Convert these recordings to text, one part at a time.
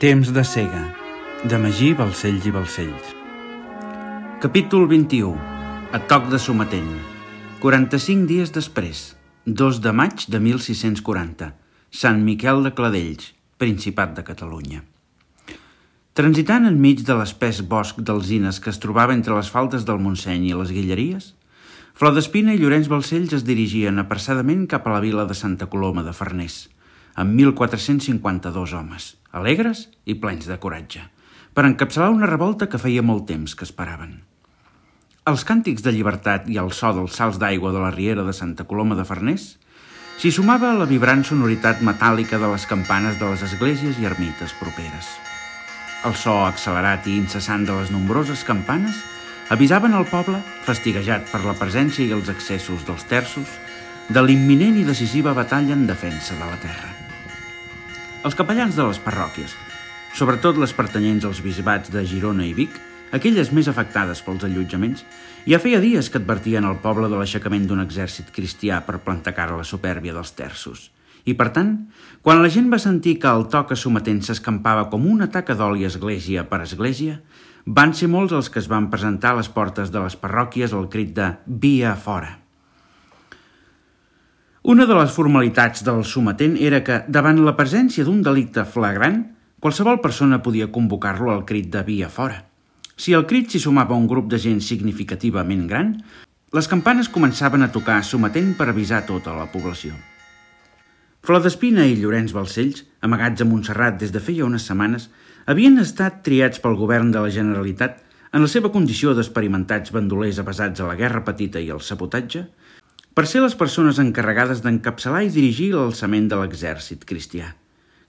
Temps de cega, de Magí Balcells i Balcells. Capítol 21. A toc de sometent. 45 dies després, 2 de maig de 1640, Sant Miquel de Cladells, Principat de Catalunya. Transitant enmig de l'espès bosc d'alzines que es trobava entre les faldes del Montseny i les Guilleries, Flor d'Espina i Llorenç Balcells es dirigien apressadament cap a la vila de Santa Coloma de Farners, amb 1.452 homes, alegres i plens de coratge, per encapçalar una revolta que feia molt temps que esperaven. Als càntics de llibertat i al so dels salts d'aigua de la riera de Santa Coloma de Farners s'hi sumava la vibrant sonoritat metàl·lica de les campanes de les esglésies i ermites properes. El so accelerat i incessant de les nombroses campanes avisaven el poble, fastiguejat per la presència i els excessos dels terços, de l'imminent i decisiva batalla en defensa de la terra. Els capellans de les parròquies, sobretot les pertanyents als bisbats de Girona i Vic, aquelles més afectades pels allotjaments, ja feia dies que advertien al poble de l'aixecament d'un exèrcit cristià per plantar cara a la supèrbia dels terços. I, per tant, quan la gent va sentir que el toc sometent s'escampava com una taca d'oli església per església, van ser molts els que es van presentar a les portes de les parròquies al crit de «Via fora». Una de les formalitats del sometent era que, davant la presència d'un delicte flagrant, qualsevol persona podia convocar-lo al crit de «Via fora». Si al crit s'hi sumava un grup de gent significativament gran, les campanes començaven a tocar sometent per avisar tota la població. Flor d'Espina i Llorenç Balcells, amagats a Montserrat des de feia unes setmanes, havien estat triats pel govern de la Generalitat en la seva condició d'experimentats bandolers avesats a la guerra petita i al sabotatge, per ser les persones encarregades d'encapçalar i dirigir l'alçament de l'exèrcit cristià.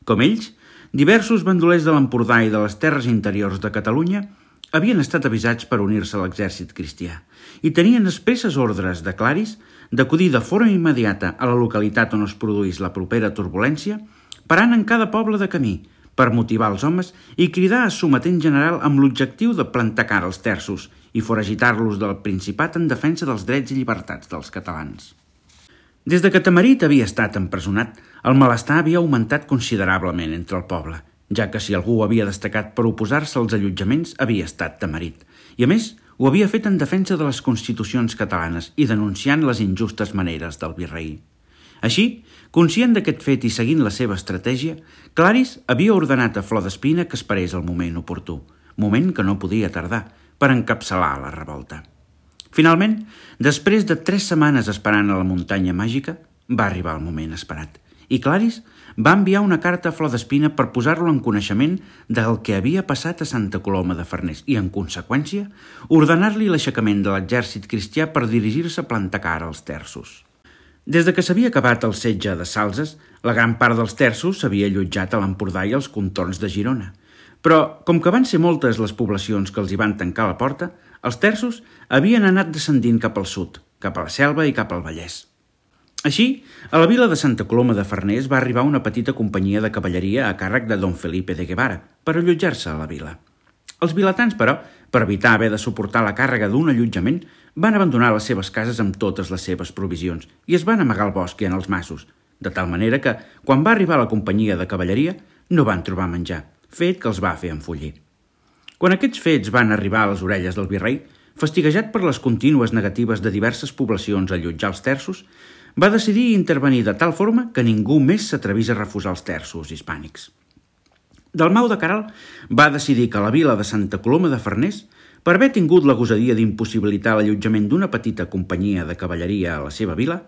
Com ells, diversos bandolers de l'Empordà i de les terres interiors de Catalunya havien estat avisats per unir-se a l'exèrcit cristià i tenien expresses ordres de claris d'acudir de forma immediata a la localitat on es produís la propera turbulència, parant en cada poble de camí per motivar els homes i cridar a sometent general amb l'objectiu de plantar cara als terços i foragitar-los del Principat en defensa dels drets i llibertats dels catalans. Des de que Tamarit havia estat empresonat, el malestar havia augmentat considerablement entre el poble, ja que si algú havia destacat per oposar-se als allotjaments havia estat Tamarit, i a més ho havia fet en defensa de les constitucions catalanes i denunciant les injustes maneres del virrei. Així, conscient d'aquest fet i seguint la seva estratègia, Claris havia ordenat a Flor d'Espina que esperés el moment oportú, moment que no podia tardar, per encapçalar la revolta. Finalment, després de 3 setmanes esperant a la muntanya màgica, va arribar el moment esperat, i Claris va enviar una carta a Flor d'Espina per posar-lo en coneixement del que havia passat a Santa Coloma de Farners i, en conseqüència, ordenar-li l'aixecament de l'exèrcit cristià per dirigir-se a plantar cara als terços. Des de que s'havia acabat el setge de Salses, la gran part dels terços s'havia allotjat a l'Empordà i als contorns de Girona. Però, com que van ser moltes les poblacions que els hi van tancar la porta, els terços havien anat descendint cap al sud, cap a la Selva i cap al Vallès. Així, a la vila de Santa Coloma de Farners va arribar una petita companyia de cavalleria a càrrec de Don Felipe de Guevara per allotjar-se a la vila. Els vilatans, però, per evitar haver de suportar la càrrega d'un allotjament, van abandonar les seves cases amb totes les seves provisions i es van amagar al bosc i en els masos, de tal manera que, quan va arribar la companyia de cavalleria, no van trobar menjar, fet que els va fer enfollir. Quan aquests fets van arribar a les orelles del virrei, fastiguejat per les contínues negatives de diverses poblacions a allotjar els terços, va decidir intervenir de tal forma que ningú més s'atrevís a refusar els terços hispànics. Dalmau de Caral va decidir que la vila de Santa Coloma de Farners, per haver tingut la gosadia d'impossibilitar l'allotjament d'una petita companyia de cavalleria a la seva vila,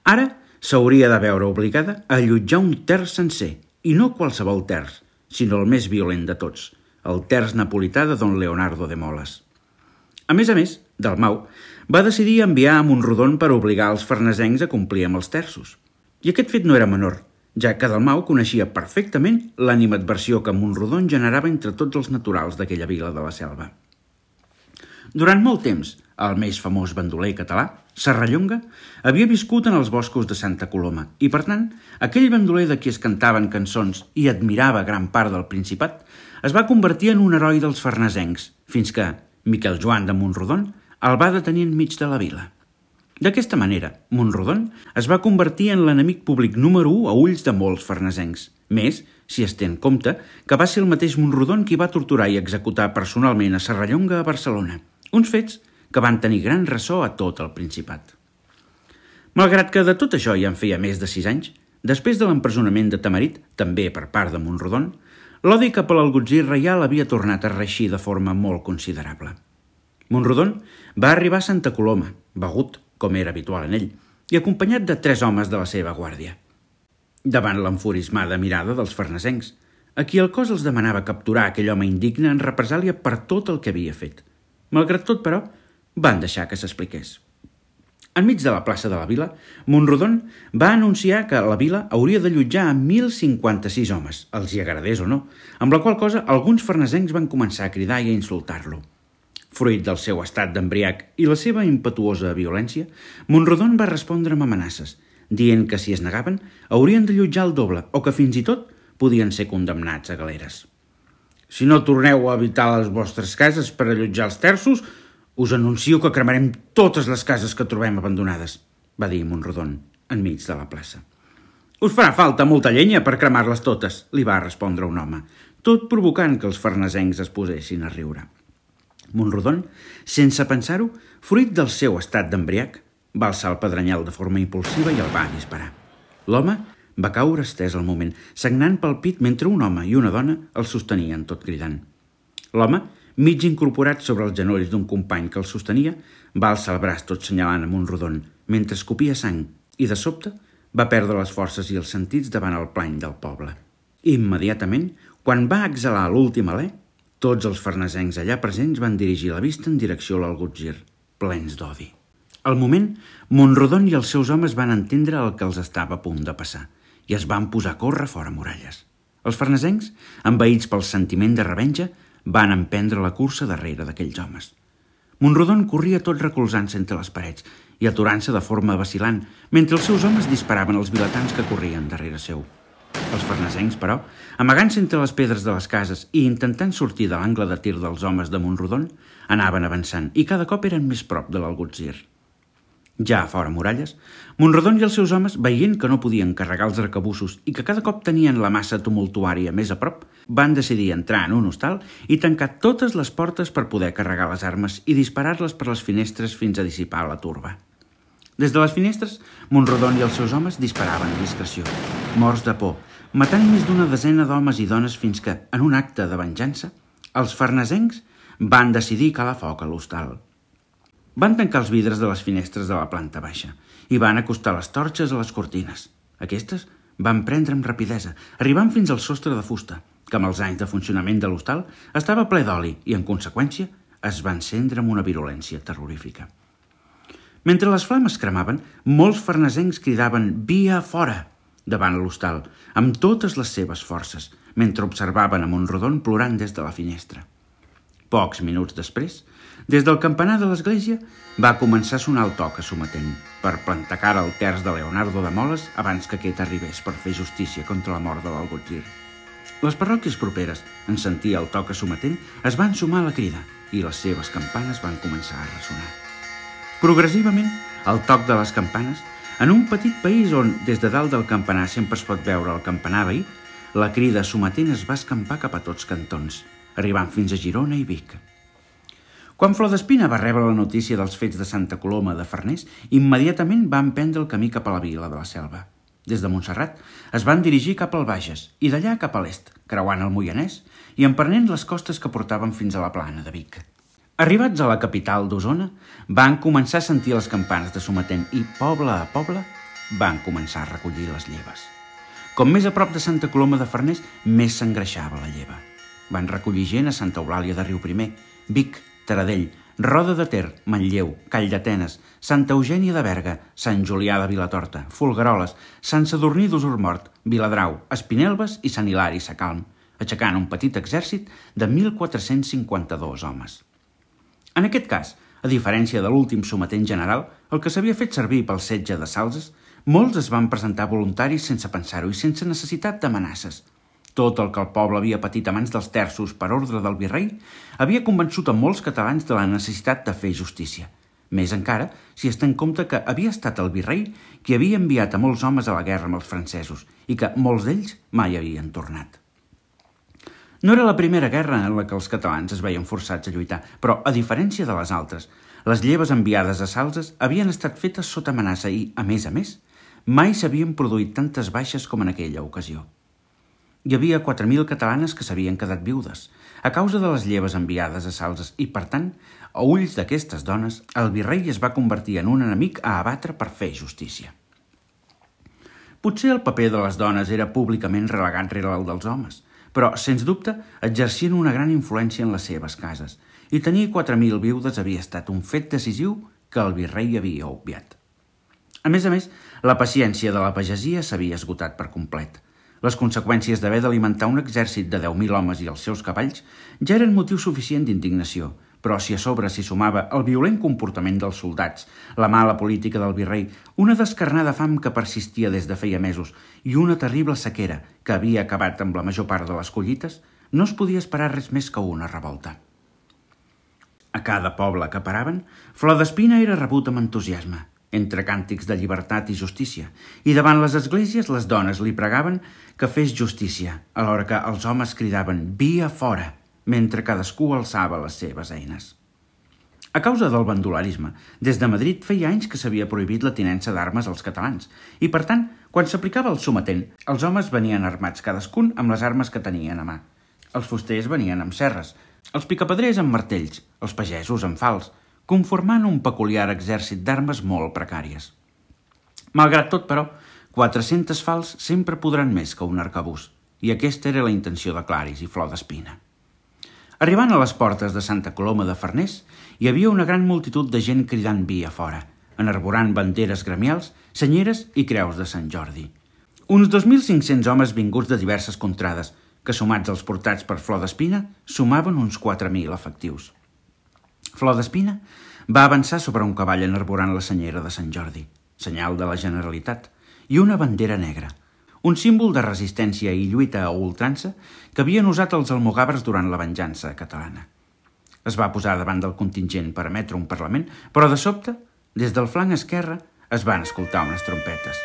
ara s'hauria de veure obligada a allotjar un terç sencer, i no qualsevol terç, sinó el més violent de tots, el terç napolità de Don Leonardo de Moles. A més, Dalmau va decidir enviar a Montrodon per obligar els farnesencs a complir amb els terços. I aquest fet no era menor, ja que Dalmau coneixia perfectament l'animadversió que Montrodon generava entre tots els naturals d'aquella vila de la Selva. Durant molt temps, el més famós bandoler català, Serrallonga, havia viscut en els boscos de Santa Coloma i, per tant, aquell bandoler de qui es cantaven cançons i admirava gran part del Principat es va convertir en un heroi dels farnesencs, fins que Miquel Joan de Montrodon el va detenir enmig de la vila. D'aquesta manera, Montrodon es va convertir en l'enemic públic número 1 a ulls de molts farnesencs, Més, si es té en compte que va ser el mateix Monrodon qui va torturar i executar personalment a Serrallonga a Barcelona, uns fets que van tenir gran ressò a tot el Principat. Malgrat que de tot això ja en feia més de 6 anys, després de l'empresonament de Tamarit, també per part de Monrodon, l'odi cap a l'algutzir reial havia tornat a reeixir de forma molt considerable. Monrodon va arribar a Santa Coloma, begut, com era habitual en ell, i acompanyat de 3 homes de la seva guàrdia. Davant l'enfurismada mirada dels farnesencs, a qui el cos els demanava capturar aquell home indigne en represàlia per tot el que havia fet. Malgrat tot, però, van deixar que s'expliqués. Enmig de la plaça de la vila, Monrodon va anunciar que la vila hauria de allotjar a 1.056 homes, els hi agradés o no, amb la qual cosa alguns farnesencs van començar a cridar i a insultar-lo. Fruit del seu estat d'embriac i la seva impetuosa violència, Monrodon va respondre amb amenaces, dient que si es negaven haurien d'allotjar el doble o que fins i tot podien ser condemnats a galeres. Si no torneu a habitar les vostres cases per allotjar els terços, us anuncio que cremarem totes les cases que trobem abandonades, va dir Monrodon, enmig de la plaça. Us farà falta molta llenya per cremar-les totes, li va respondre un home, tot provocant que els farnesencs es posessin a riure. Monrodon, sense pensar-ho, fruit del seu estat d'embriac, va alçar el pedrenyal de forma impulsiva i el va disparar. L'home va caure estès al moment, sagnant pel pit mentre un home i una dona el sostenien tot cridant. L'home, mig incorporat sobre els genolls d'un company que el sostenia, va alçar el braç tot senyalant a Monrodon, mentre escopia sang, i de sobte va perdre les forces i els sentits davant el plany del poble. Immediatament, quan va exhalar l'últim alè, tots els farnesencs allà presents van dirigir la vista en direcció a l'algutzir, plens d'odi. Al moment, Monrodon i els seus homes van entendre el que els estava a punt de passar i es van posar a córrer fora muralles. Els farnesencs, envaïts pel sentiment de revenja, van emprendre la cursa darrere d'aquells homes. Monrodon corria tot recolzant-se entre les parets i aturant-se de forma vacil·lant, mentre els seus homes disparaven els vilatans que corrien darrere seu. Els farnesencs, però, amagant-se entre les pedres de les cases i intentant sortir de l'angle de tir dels homes de Monrodon, anaven avançant i cada cop eren més prop de l'algutzir. Ja a fora muralles, Monrodon i els seus homes, veient que no podien carregar els arcabussos i que cada cop tenien la massa tumultuària més a prop, van decidir entrar en un hostal i tancar totes les portes per poder carregar les armes i disparar-les per les finestres fins a dissipar la turba. Des de les finestres, Monrodon i els seus homes disparaven a discreció, morts de por, matant més d'una desena d'homes i dones fins que, en un acte de venjança, els farnesencs van decidir calar foc a l'hostal. Van tancar els vidres de les finestres de la planta baixa i van acostar les torxes a les cortines. Aquestes van prendre amb rapidesa, arribant fins al sostre de fusta, que amb els anys de funcionament de l'hostal estava ple d'oli i, en conseqüència, es va encendre amb una virulència terrorífica. Mentre les flames cremaven, molts farnesencs cridaven «Via fora!» davant l'hostal, amb totes les seves forces, mentre observaven a Monrodon plorant des de la finestra. Pocs minuts després, des del campanar de l'església va començar a sonar el toc a sometent per plantar cara al terç de Leonardo de Moles abans que aquest arribés per fer justícia contra la mort de l'algutzir. Les parròquies properes, en sentir el toc a sometent, es van sumar a la crida i les seves campanes van començar a ressonar. Progressivament, el toc de les campanes, en un petit país on, des de dalt del campanar sempre es pot veure el campanar veí, la crida sometent es va escampar cap a tots cantons, arribant fins a Girona i Vic. Quan Flor d'Espina va rebre la notícia dels fets de Santa Coloma de Farners, immediatament va emprendre el camí cap a la vila de la Selva. Des de Montserrat es van dirigir cap al Bages i d'allà cap a l'est, creuant el Moianès i emprenent les costes que portaven fins a la plana de Vic. Arribats a la capital d'Osona, van començar a sentir les campanes de sometent i, poble a poble, van començar a recollir les lleves. Com més a prop de Santa Coloma de Farners, més s'engreixava la lleva. Van recollir gent a Santa Eulàlia de Riuprimer, Vic, Taradell, Roda de Ter, Manlleu, Calldetenes, Santa Eugènia de Berga, Sant Julià de Vilatorta, Folgueroles, Sant Sadurní d'Usurmort, Viladrau, Espinelves i Sant Hilari Sacalm, aixecant un petit exèrcit de 1.452 homes. En aquest cas, a diferència de l'últim sometent general, el que s'havia fet servir pel setge de Salses, molts es van presentar voluntaris sense pensar-ho i sense necessitat d'amenaces. Tot el que el poble havia patit a mans dels terços per ordre del virrei havia convençut a molts catalans de la necessitat de fer justícia. Més encara si es té en compte que havia estat el virrei qui havia enviat a molts homes a la guerra amb els francesos i que molts d'ells mai havien tornat. No era la primera guerra en la que els catalans es veien forçats a lluitar, però, a diferència de les altres, les lleves enviades a Salses havien estat fetes sota amenaça i, a més, mai s'havien produït tantes baixes com en aquella ocasió. Hi havia 4.000 catalanes que s'havien quedat viudes, a causa de les lleves enviades a Salses i, per tant, a ulls d'aquestes dones, el virrei es va convertir en un enemic a abatre per fer justícia. Potser el paper de les dones era públicament relegat rere el dels homes, però, sens dubte, exercien una gran influència en les seves cases, i tenir 4.000 viudes havia estat un fet decisiu que el virrei havia obviat. A més, la paciència de la pagesia s'havia esgotat per complet. Les conseqüències d'haver d'alimentar un exèrcit de 10.000 homes i els seus cavalls ja eren motiu suficient d'indignació, però si a sobre s'hi sumava el violent comportament dels soldats, la mala política del virrei, una descarnada fam que persistia des de feia mesos i una terrible sequera que havia acabat amb la major part de les collites, no es podia esperar res més que una revolta. A cada poble que paraven, Flor d'Espina era rebut amb entusiasme, entre càntics de llibertat i justícia, i davant les esglésies les dones li pregaven que fes justícia, alhora que els homes cridaven «Via fora!», mentre cadascú alçava les seves eines. A causa del bandolarisme, des de Madrid feia anys que s'havia prohibit la tinença d'armes als catalans, i per tant, quan s'aplicava el sometent, els homes venien armats cadascun amb les armes que tenien a mà. Els fusters venien amb serres, els picapedrers amb martells, els pagesos amb fals, conformant un peculiar exèrcit d'armes molt precàries. Malgrat tot, però, 400 fals sempre podran més que un arcabús, i aquesta era la intenció de Claris i Flor d'Espina. Arribant a les portes de Santa Coloma de Farners, hi havia una gran multitud de gent cridant via fora, enarborant banderes gremials, senyeres i creus de Sant Jordi. Uns 2.500 homes vinguts de diverses contrades, que sumats als portats per Flor d'Espina, sumaven uns 4.000 efectius. Flor d'Espina va avançar sobre un cavall enarborant la senyera de Sant Jordi, senyal de la Generalitat, i una bandera negra, un símbol de resistència i lluita a ultrança que havien usat els almogàvers durant la venjança catalana. Es va posar davant del contingent per emetre un parlament, però de sobte, des del flanc esquerre, es van escoltar unes trompetes.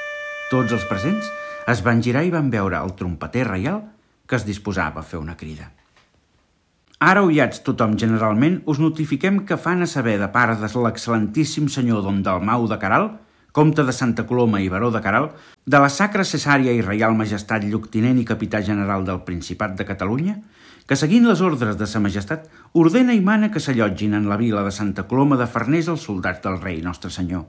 Tots els presents es van girar i van veure el trompeter reial que es disposava a fer una crida. Ara, oiats tothom generalment, us notifiquem que fan a saber de part de l'excel·lentíssim senyor Don Dalmau de Caral, comte de Santa Coloma i baró de Caral, de la Sacra Cesària i Reial Majestat Lloctinent i Capità General del Principat de Catalunya, que seguint les ordres de sa Majestat, ordena i mana que s'allotgin en la vila de Santa Coloma de Farners els soldats del rei Nostre Senyor.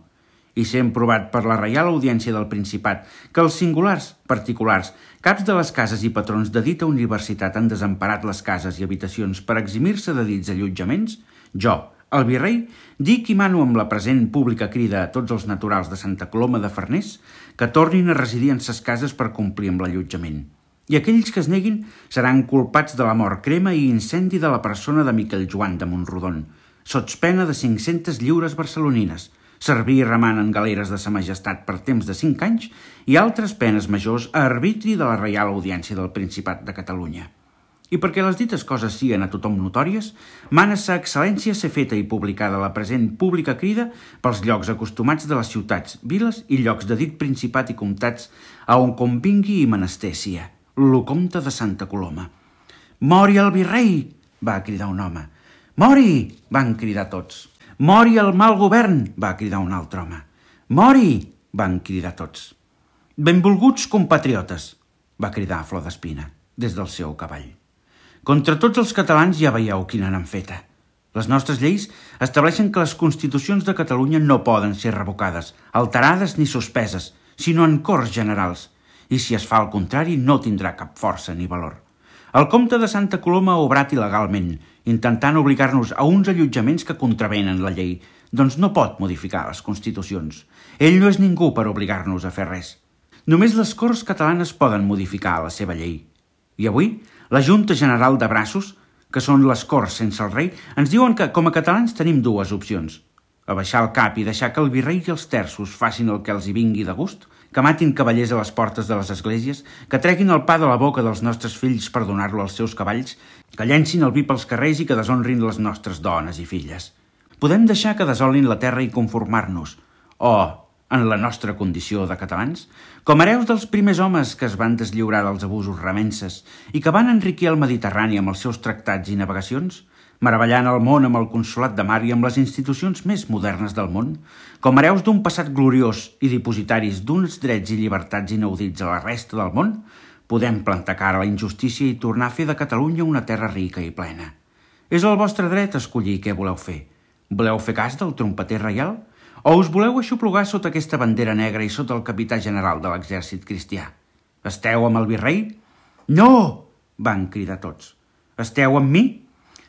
I sent provat per la Reial Audiència del Principat que els singulars, particulars, caps de les cases i patrons de dita universitat han desemparat les cases i habitacions per eximir-se de dits allotjaments, jo, el virrei, dic i mano amb la present pública crida a tots els naturals de Santa Coloma de Farners que tornin a residir en ses cases per complir amb l'allotjament. I aquells que es neguin seran culpats de la mort, crema i incendi de la persona de Miquel Joan de Montrodon, sots pena de 500 lliures barcelonines, servir remant en galeres de sa Majestat per temps de 5 anys i altres penes majors a arbitri de la Reial Audiència del Principat de Catalunya. I perquè les dites coses siguen a tothom notòries, mana sa excel·lència ser feta i publicada la present pública crida pels llocs acostumats de les ciutats, viles i llocs de dit principat i comtats a on convingui i menester sia, lo comte de Santa Coloma. «Mori el virrei!» va cridar un home. «Mori!» van cridar tots. «Mori el mal govern!» va cridar un altre home. «Mori!» van cridar tots. «Benvolguts compatriotes!» va cridar Flor d'Espina des del seu cavall. Contra tots els catalans ja veieu quina n'han feta. Les nostres lleis estableixen que les constitucions de Catalunya no poden ser revocades, alterades ni suspeses, sinó en Corts Generals, i si es fa el contrari no tindrà cap força ni valor. El comte de Santa Coloma ha obrat il·legalment, intentant obligar-nos a uns allotjaments que contravenen la llei, doncs no pot modificar les constitucions. Ell no és ningú per obligar-nos a fer res. Només les Corts catalanes poden modificar la seva llei. I avui, la Junta General de Braços, que són les Corts sense el rei, ens diuen que, com a catalans, tenim dues opcions. Abaixar el cap i deixar que el virrei i els terços facin el que els hi vingui de gust, que matin cavallers a les portes de les esglésies, que treguin el pa de la boca dels nostres fills per donar-lo als seus cavalls, que llencin el vi pels carrers i que deshonrin les nostres dones i filles. Podem deixar que desolin la terra i conformar-nos, o, en la nostra condició de catalans, com hereus dels primers homes que es van deslliurar dels abusos remenses i que van enriquir el Mediterrani amb els seus tractats i navegacions, meravellant el món amb el consolat de mar i amb les institucions més modernes del món, com hereus d'un passat gloriós i dipositaris d'uns drets i llibertats inaudits a la resta del món, podem plantar cara a la injustícia i tornar a fer de Catalunya una terra rica i plena. És el vostre dret escollir què voleu fer. Voleu fer cas del trompeter reial? O us voleu aixoplugar sota aquesta bandera negra i sota el capità general de l'exèrcit cristià? Esteu amb el virrei? No! Van cridar tots. Esteu amb mi?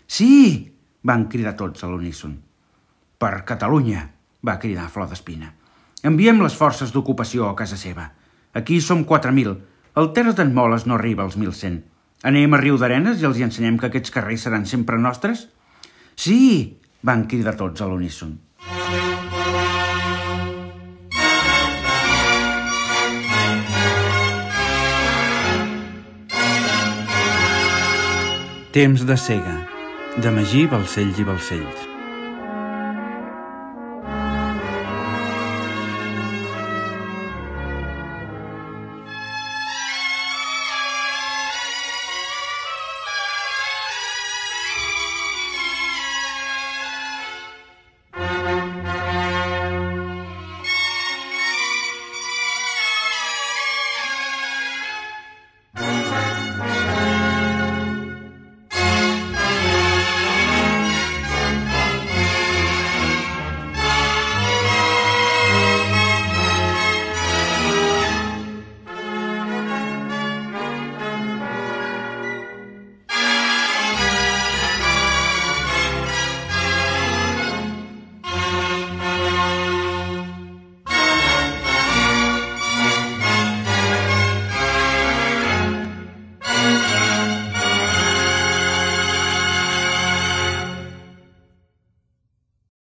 Sí! Van cridar tots a l'uníson. Per Catalunya! Va cridar Flor d'Espina. Enviem les forces d'ocupació a casa seva. Aquí som 4.000. El terç d'en Moles no arriba als 1.100. Anem a Riudarenes i els hi ensenyem que aquests carrers seran sempre nostres? Sí! Van cridar tots a l'uníson. Temps de cega, de Magí Balcells i Balcells.